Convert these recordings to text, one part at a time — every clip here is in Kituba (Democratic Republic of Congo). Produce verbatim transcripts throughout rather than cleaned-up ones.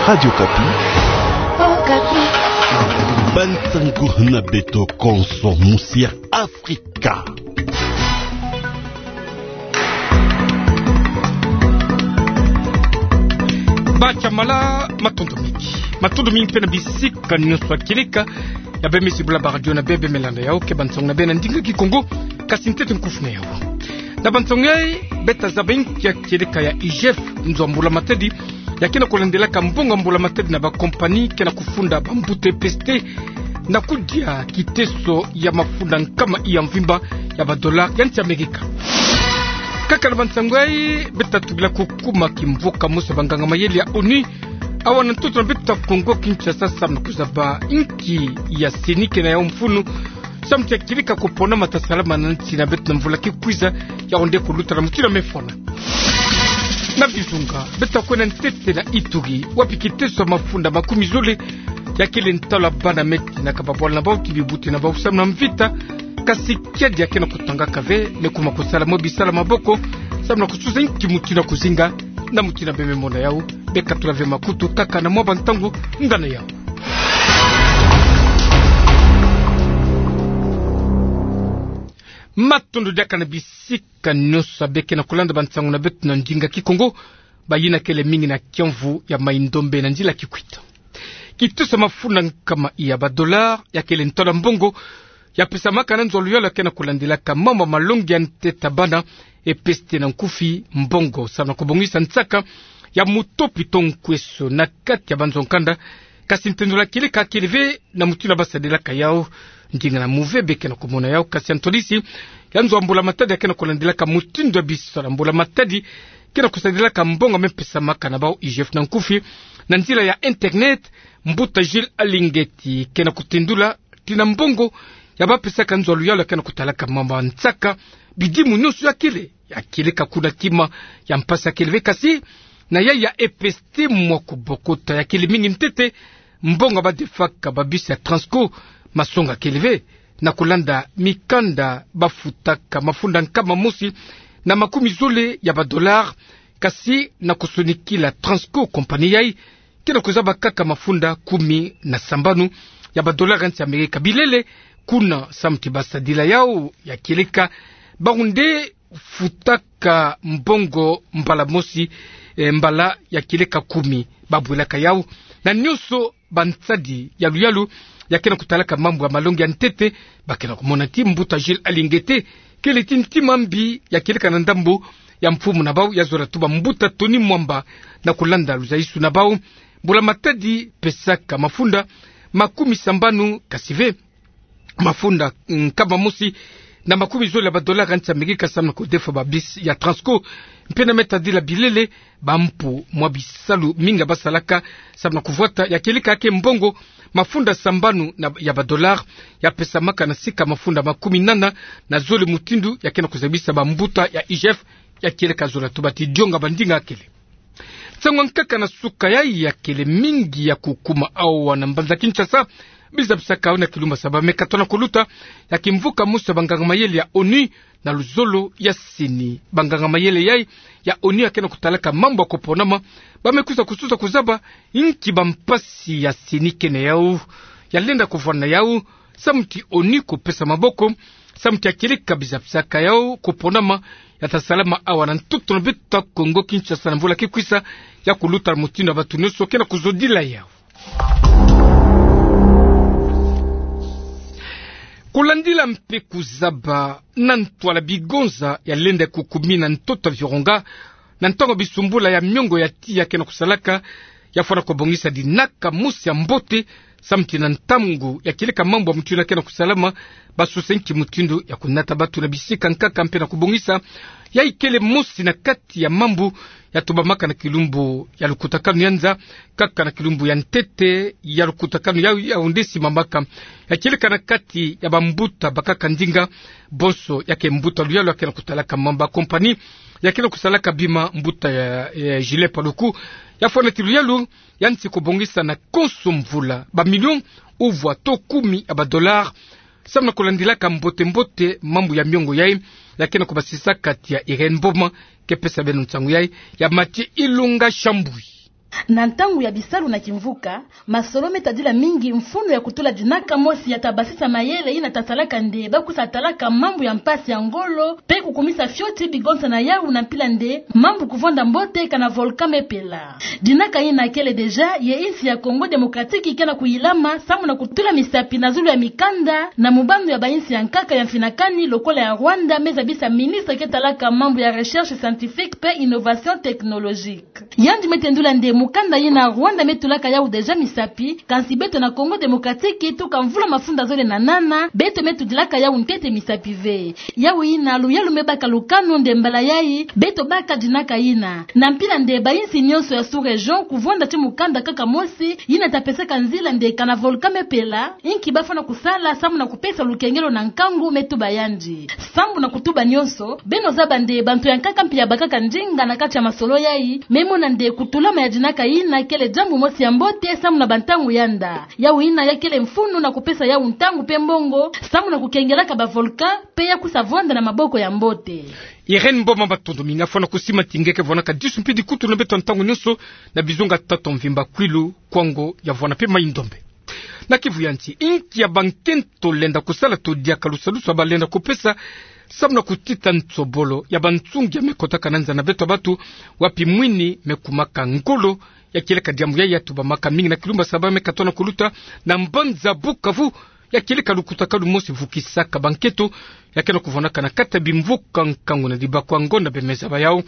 Radio Okapi. Okapi. Bansangu na beto konso musi ya Afrika. Bacha mala, matondo mingi. Matondo mingi mpe na bisika nyonso ya kieleka ya bemesi bula ba radio na beno, beno landa yawu ke bansangu na beno na ndinga Kikongo, kasi ntete nkufi na yawu. Na bansangu yayi, beta zaba inki ya kieleka ya I G F, nzo ya mbula-matadi, ya ke na kulandelaka mbongo ya mbula-matadi na bakompani ke na kufunda bambuta ya E P S T na kudia kiteso ya mafunda nkama iya mvimba ya badollar ya nsi Amerika. Kaka na bansangu yayi, beta tubila kukuma kimvuka mosi ya banganga-mayele ya onu, awa na ntoto na beto Kongo Kinshasa, samu na kuzaba inki ya CENI ke na yawu mfunu, samu ti ya kieleka kuponama ta salama na nsi na beto na mvula ke kwiza, yawu nde kuluta na mutindu ya me fwana. Na Visunga, beta kwenda ntete na Ituri, wapi kiteso ya mafunda makumi zole ya kele ntalu ya bana me tinaka babwala na bawu ti bibuti na bawu samu na mvita, kasi kiadi ya ke na kutangaka ve, me kuma kusala mwa bisalu ya maboko, samu na kususa inki mutindu ya kuzinga, na mutindu ya beno me mona yawu, beno katula ve makutu kaka na mwa bantangu ngana yawu. Matondo diaka na bisika nyonso ya beno ke na kulanda bansangu na beto na ndinga Kikongo, bayina kele mingi na kiamvu ya Mai-Ndombe na nzila Kikwit. Kiteso ya mafunda nkama iya badollar, ya kele ntalu ya mbongo ya pesamaka na nzo ya luyalu ya ke na kulandelaka mambu ya malongi ya ntete ya bana, E P S T na nkufi, mbongo samu na kubongisa nsaka ya mutopi to nkweso na kati ya banzo ya nkanda, kasi ntendolo ya kieleka kele ve na mutindu ya basadilaka yawu. Ndinga na muve beno ke na kumona yawu, kasi ya ntwadisi ya nzo ya mbula-matadi ya ke na kulandelaka mutindu ya bisalu ya mbula-matadi ke na kusadilaka mbongo ya me pesamaka na bawu I G F na nkufi, na nzila ya internet, mbuta Jules Alingeti ke na kutendula ti na mbongo ya ba pesaka nzo ya luyalu ya ke na kutalaka mambu ya nsaka, bidimu nyonso ya kele ya kieleka kuna kima, ya mpasi ya kele ve, kasi na yayi ya E P S T mwa kubokota ya kele mingi ntete, mbongo ya ba defaka ba bus ya Transco, masonga kele ve, na kulanda mikanda ba futaka mafunda nkama mosi na makumi zole ya badollar, kasi na kusonikila Transco, kompani yayi ke na kuzaba kaka mafunda kumi na sambanu ya badollar ya nsi Amerika. Bilele kuna, samu ti basadila yawu ya kieleka, bawu nde futaka mbongo mbala mosi, eh, mbala ya kieleka kumi, babwelaka yawu. Na nyonso bansadi ya luyalu ya ke na kutalaka mambu ya malongi ya ntete, ba ke na kumona ti mbuta Jules Alingeti kele ti ntima mbi ya kieleka na ndambu ya mfumu na bawu, ya zola tuba mbuta Tony Mwamba, na kulanda luzayisu na bawu, mbula-matadi pesaka mafunda makumi sambanu, kasi ve mafunda nkama mosi na makumi zole ya badollar ya nsi Amerika samu na kudefa ba bus ya Transco. Mpe na me tadila bilele bampu mwa bisalu mingi basalaka samu na kuvwata ya kieleka ke mbongo mafunda sambanu na, ya badollar ya pesamaka na sika mafunda makumi nana na zole, mutindu ya ke na kuzabisa bambuta ya I G F ya kieleka, zola tuba ti dionga bandinga ya kele. Nsangu ya nkaka na suka yayi ya kele mingi ya kukuma awa na mbanza Kinshasa, bizabisaka yawu na kilumbu ya saba me katono kuluta, ya kimvuka mosi ya banganga-mayele ya onu na luzolo ya CENI. Banganga-mayele yayi ya onu ya ke na kutalaka mambu ya kuponama, ba me kwiza kususa kuzaba inki bampasi ya CENI ke na yawu, ya lenda kuvwanda na yawu, samu ti onu kupesa maboko, samu ti ya kieleka bizabisaka yawu kuponama, ya ta salama awa na ntoto na beto Kongo Kinshasa na mvula ke kwisa, ya kuluta na mutindu ya bantu nyonso ke na kuzodila yawu. Kulandila mpe kuzaba na ntwala bigonza ya lenda kukumina ntoto ya Virunga, na ntangu ya bisumbula ya miongo ya tiya ke na kusalaka, ya fwana kubongisa dinaka mosi ya mbote, samu ti na ntangu ya kieleka mambu ya mutindu ya ke na kusalama, ba susa inki mutindu ya kunata bantu na bisika nkaka mpe na kubongisa. Yayi kele mosi na kati ya mambu ya tubamaka na kilumbu ya lukutakanu ya nza, kaka na kilumbu ya ntete ya lukutakanu ya, yawu nde simamaka, ya kieleka na kati ya bambuta bakaka ndinga, bonso ya ke mbuta luyalu ya ke na kutalaka mambu ya kompani ya ke na kusalaka bima, mbuta ya, ya Julien Paluku, ya fwana ti luyalu ya nsi kubongisa na konso mvula bamilio uvwa to kumi ya badollar, samu na kulandilaka mbote-mbote mambu ya miongo yayi. Ya ke na kubasisaka ti ya Irène Mboma ke pesa beno nsangu yayi, ya Mathieu Ilunga Chambouis. Na ntangu ya bisalu na kimvuka, masolo me tadila mingi mfunu ya kutula dinaka mosi ya ta basisa mayele yina ta salaka nde ba kusa talaka mambu ya mpasi ya ngolo, pe kukumisa fioti bigonsa na yau na mpila nde mambu kuvonda mbote kana volcan me pela. Dinaka yina kele deja ye insi ya Congo Démocratique ke na kuyilama samu na kutula misapi na zulu ya mikanda na mubando ya ba insi ya nkaka ya mfinakani lokola ya Rwanda, me zabisa ministre ke talaka mambu ya recherche scientifique pe innovation technologique. Yandi me tendula nde mukanda yina Rwanda me tulaka yau deja misapi, kansi beto na Congo Démocratique tuka mvula mafunda zole na nana, beto me tudilaka yau ntete misapi ve. Yau yina luyalu me baka lukanu nde mbala yayi, beto baka dinaka yina. Na mpila nde ba insi nyonso ya sous-région kuvonda ti mukanda kaka mosi, yina ta pesaka nzila nde kana volcan me pela, inki ba fwana kusala samu na kupesa lukengelo na nkangu me tuba yandi. Sambu na kutuba nyonso, beno zaba nde bantu ya nkaka mpi ya bakaka ndinga na kati ya masolo yayi, me mona nde kutulama ya dinaka yina kele diambu mosi ya mbote samu na bantangu yanda. Yau yina ya kele mfunu na kupesa yau ntangu pe mbongo, samu na kukengelaka ba volcan, pe ya kusa vonda na maboko ya mbote. Irène Mboma, matondo mingi, fwana kusima ti nge ke vwanaka disu mpi dikutu na beto ntangu nyonso, na bizunga tata mvimba Kwilu, Kwango ya Vwana pe Mayi-Ndombe. Na Kivu ya nsi, inki ya bankento lenda kusala to diaka lusadusu ba lenda kupesa, samu na kutita nsobolo ya bansungi ya me kotaka na nza na beto ya batu, wapi mwini me kumaka ngolo, ya kieleka diambu yayi ya tubamaka mingi na kilumbu ya saba me katono kuluta, na mbanza Bukavu, ya kieleka lukutakanu mosi vukisaka bankento, ya ke na kuvwanaka na kati ya bimvuka nkangu na dibakwa ngonda bemeza ba yau.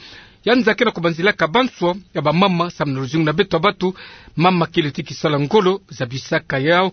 Ya nza ke na kubanzilaka banswa ya bamama samu na luzingu na beto ya batu, mama kele ti kisala ngolo zabisaka yau.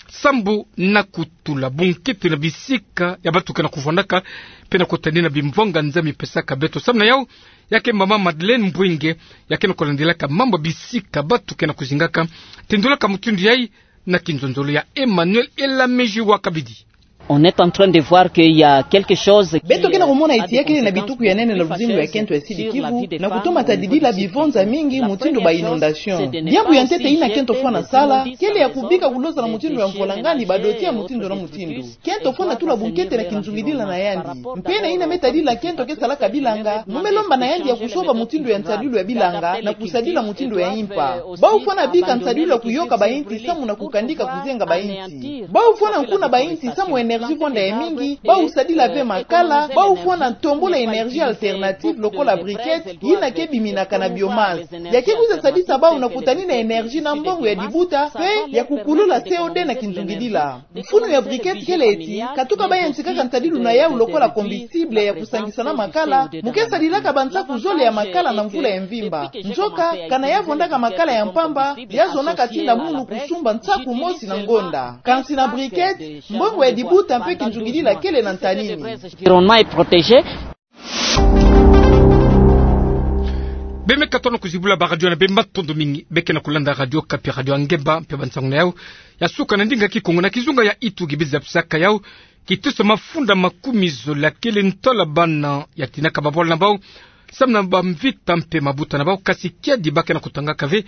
Sambu na kutula bunkento na bisika ya batu ke na kuvwanaka, pe na kutani na bimvwanga nza mi pesaka beto samu na yau, ya ke mama Madeleine Mbwinge, ya ke na kulandilaka mambu ya bisika batu ke na kuzingaka. Tendulaka mutindu yayi, na kinzonzolo ya Emmanuel Elamezi wa Kabidi. On est en train de voir qu'il y a quelque chose qui... Beto ke na kumona eti ya kele na bituku ya nene na luzingu ya kento ya Sud-Kivu, na kutoma tadidila bivonza mingi mutindu ba inondation. Diambu ya ntete yina kento fwana sala, kele ya kubika kuloza na mutindu ya mvwalangani badoti ya mutindu na mutindu. Kento fwana tula bunkento na kinzungidila na yandi. Mpe na yina me tadila kento ke salaka bilanga, mu me lomba na yandi ya kusoba mutindu ya nsadilu ya bilanga, na kusadila mutindu ya impa. Bau fwana bika nsadilu ya kuyoka ba insi samu na kukandika kuzenga ba insi. Bau fwana nkuna ba insi samu énergie vonda ya mingi, bau sadila ve makala, bau fwana tombula énergie alternative lokola briquette, yina ke biminaka na biomasse. Ya ke kwiza sadisa bau na kutani na énergie na mbongo ya dibuta, pe ya kukulula C O deux na kinzungidila. Mfunu ya briquette kele eti, katuka ba yantikaka nsadilu na yau lokola combustible ya kusangisa na makala, mu ke sadilaka bansaku zole ya makala na mvula ya mvimba. Nzoka, kana ya vondaka makala ya mpamba, ya zonaka tinda munu kusumba nsaku mosi na ngonda. Kansi na briquette, mbongo ya dibuta mpe kinzungidila kele na ntanini. L'environnement est protégé. Be me katono kuzibula ba radio na be, matondo mingi. Be ke na kulanda Radio Okapi, radio ya ngemba, mpe bansangu na yau ya suka na ndinga Kikongo. Na kizunga ya Ituri, biza pisaka yau kiteso mafunda makumi zole ya kele ntwala bana ya tinaka babwala na bau samu na bamvita mpe mabuta na bau, kasi kiadi ba ke na kutangaka ve.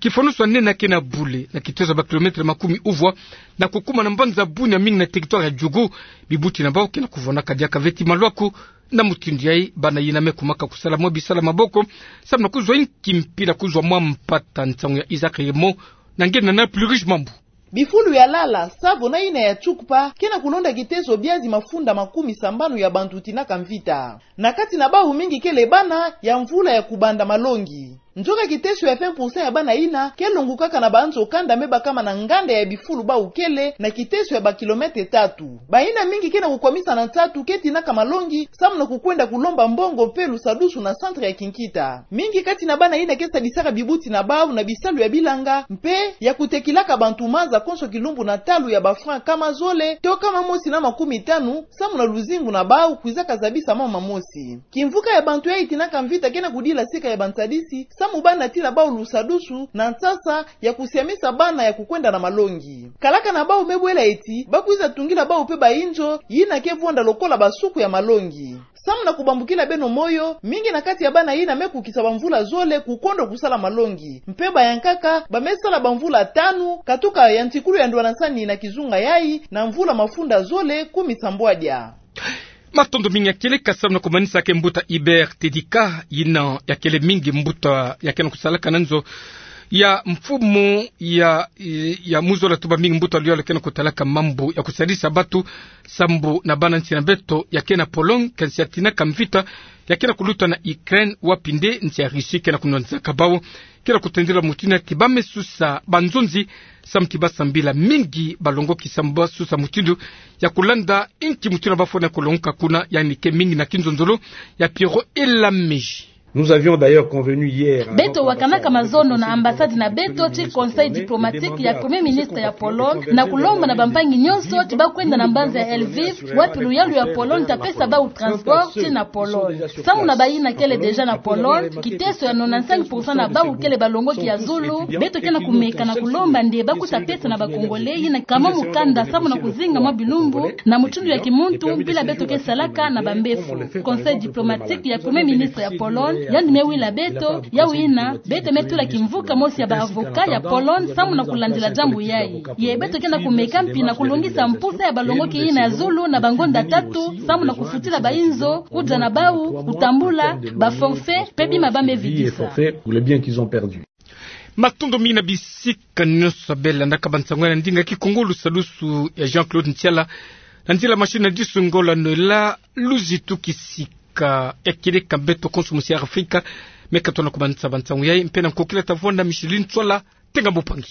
Kifonusu ya nene ya ke na bule na kiteso ba kilomètre makumi uvwa na kukuma na mbanza Bunia, mingi na territoire ya Djugu. Bibuti na bau ke na kuvwanaka diaka ve ti malwaku. Na mutindu yayi, bana yina me kumaka kusala mwa bisala maboko samu na kuzwa inki mpi na kuzwa mwa mpata. Nsangu ya Isaac Remo na nge na na Plus Riche Mambu. Bifulu ya lala, savo na yina ya tsukpa ke na kulonda kiteso biazi mafunda makumi sambanu ya bantu tinaka mvita. Na kati na bau, mingi kele bana ya mvula ya kubanda malongi. Nzoka kiteso ya vingt pour cent ya bana yina ke longukaka na banzo kanda me bakama na nganda ya bifulu bau kele na kiteso ya ba kilomètre tatu. Bayina mingi ke na kukwamisa na nsatu ke tinaka malongi samu na kukwenda kulomba mbongo mpe lusadusu na centre ya kinkita. Mingi kati na bana yina ke sadisaka bibuti na bau na bisalu ya bilanga mpe ya kutekilaka bantu maza konso kilumbu na ntalu ya ba francs nkama zole to nkama mosi na makumi tanu, samu na luzingu na bau kwizaka zabisa mama mosi. Kimvuka ya bantu yayi tinaka mvita ke na kudila sika ya bansadisi samu bana tina bau lusadusu na nsasa ya kusiamisa bana ya kukwenda na malongi. Kalaka na bau me bwela eti ba kwiza tungila bau mpe ba inzo yina ke vonda lokola ba suku ya malongi. Samu na kubambukila beno moyo, mingi na kati ya bana yina me kukisa bamvula zole kukondo kusala malongi. Mpe ba ya nkaka ba me sala bamvula tanu, katuka ya ntikulu ya ndwanansani na kizunga yayi, na mvula mafunda zole kumi sambwadia. Matondo mingi. Ya kieleka samu na kumanisa ke mbuta Hubert Tedika, yina ya kele mingi mbuta ya ke na kusalaka na nzo Ya mfumu ya, ya muzola tuba mingi mbuta luyalu ke na kutalaka mambu ya kusadisa batu sambu na bana nsi na beto ya ke na Pologne, kansi ya tina ka mvita ya ke na kuluta na Ukraine, wapi nde nsi ya Russie ke na kunwanzaka bau. Ke na kutendela mutindu ti ba me susa banzonzi, samu ti ba sambila mingi balongoki samu ba susa mutindu ya kulanda inki mutindu bafwana kulongoka kuna, yandi ke mingi na kinzonzolo ya Pierrot Elamiji. Nous avions d'ailleurs convenu hier, alors, beto wakanaka mazono na ambassade na beto ti conseil diplomatique ya Premier Ministre ya Pologne, na kulomba na bampangi nyonso ti ba kwenda na mbanza ya Lviv, wapi luyalu ya Pologne ta pesa bau transport ti na Pologne. Samu na bayina kele déjà na Pologne, kiteso ya nonante-cinq pour cent na bau kele balongoki ya zulu. Beto ke na kumeka na kulomba nde ba kuta pesa na ba Congolais yina kama mukanda samu na kuzinga mwa bilumbu na mutindu ya kimuntu, mpila beto ke salaka na bambefu. Conseil diplomatique ya Premier Ministre ya Pologne yandi me wila beto, yau yina beto me tula kimvuka mosi ya ba avocat ya Pologne samu na kulandila diambu yayi. Ye beto ke na kumeka mpi na kulungisa mpusa ya balongoki yina ya zulu na bangonda tatu, samu na kufutila bayinzo, kudia na bau, kutambula, ba forfait, pe bima ba me vidisa. Matondo mingi na bisika nyonso bela ndaka ba nsangu ya na ndinga Kikongo, lusalusu ya Jean-Claude Ntiala, na nzila machine na disu Ngola Noëlla, luzitu kisika. Ya kele ka beto konso musi ya Afrika, me ka tona kumanisa ba nsangu yayi, mpe na nkokila ta vwanda Micheline Tswala, tenga mbupangi.